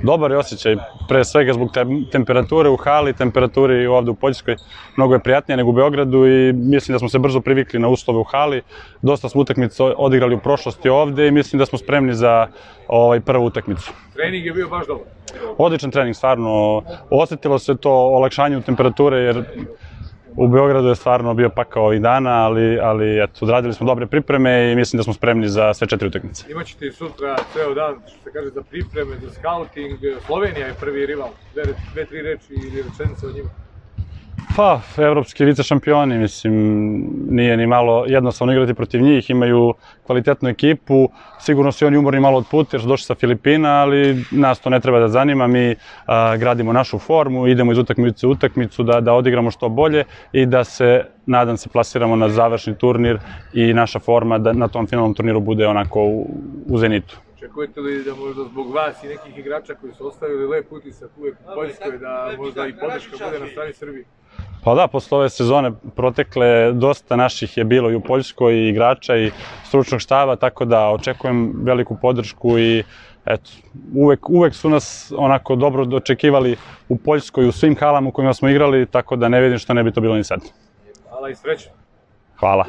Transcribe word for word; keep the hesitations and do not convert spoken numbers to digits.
Dobar je osjećaj, pre svega zbog te temperature u hali, temperaturi ovde u Poljskoj. Mnogo je prijatnije nego u Beogradu i mislim da smo se brzo privikli na uslove u hali. Dosta smo utakmica odigrali u prošlosti ovde i mislim da smo spremni za ovaj, prvu utakmicu. Trening je bio baš dobar. Odličan trening, stvarno. Osetilo se to olakšanje u temperature jer u Beogradu je stvarno bio pakao ovih dana, ali, ali eto, odradili smo dobre pripreme i mislim da smo spremni za sve četiri utakmice. Imaćete i sutra ceo dan, što se kaže, za pripreme, za scouting. Slovenija je prvi rival. Dve, dve tri reči ili rečenice o njima. Pa, evropski vice šampioni, mislim, nije ni malo jednostavno igrati protiv njih, imaju kvalitetnu ekipu, sigurno su i oni umorni malo od puta jer su došli sa Filipina, ali nas to ne treba da zanima, mi a, gradimo našu formu, idemo iz utakmice u utakmicu da, da odigramo što bolje i da se, nadam se, plasiramo na završni turnir i naša forma da na tom finalnom turniru bude onako u, u zenitu. Očekujete li da možda zbog vas i nekih igrača koji su ostavili lep utisak uvek u Poljskoj, da možda i podrška bude na strani Srbije? Pa da, posle ove sezone protekle, dosta naših je bilo i u Poljskoj, i igrača i stručnog štaba, tako da očekujem veliku podršku i eto, uvek, uvek su nas onako dobro dočekivali u Poljskoj, u svim halama u kojima smo igrali, tako da ne vidim što ne bi to bilo ni sad. Hvala i sreće. Hvala.